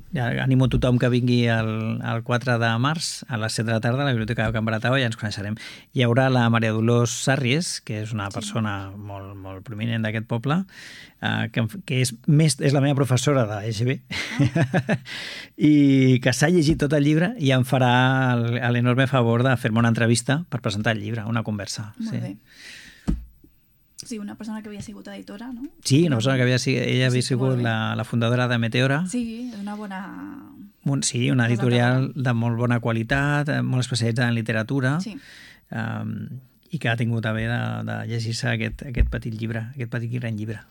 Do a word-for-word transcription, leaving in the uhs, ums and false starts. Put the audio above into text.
Ja animo tothom que vingui el, el quatre de març a les set de la tarda a la Biblioteca de Can Baratau i ja ens coneixerem. Hi haurà la Maria Dolors Sarries, que és una persona sí. molt, molt prominent d'aquest poble, eh, que, que és, més, és la meva professora de E G B ah. i que s'ha llegit tot el llibre i em farà l'enorme favor de fer-me una entrevista per presentar el llibre, una conversa. Molt sí. bé. Sí, una persona que havia sigut editora, no? Sí, una persona que havia sigut, ella havia sigut la, la fundadora de Meteora. Sí, és una bona... Un, sí, una editorial de molt bona qualitat, molt especialitzada en literatura, sí. um, i que ha tingut a bé de, de llegir-se aquest, aquest petit llibre, aquest petit gran llibre.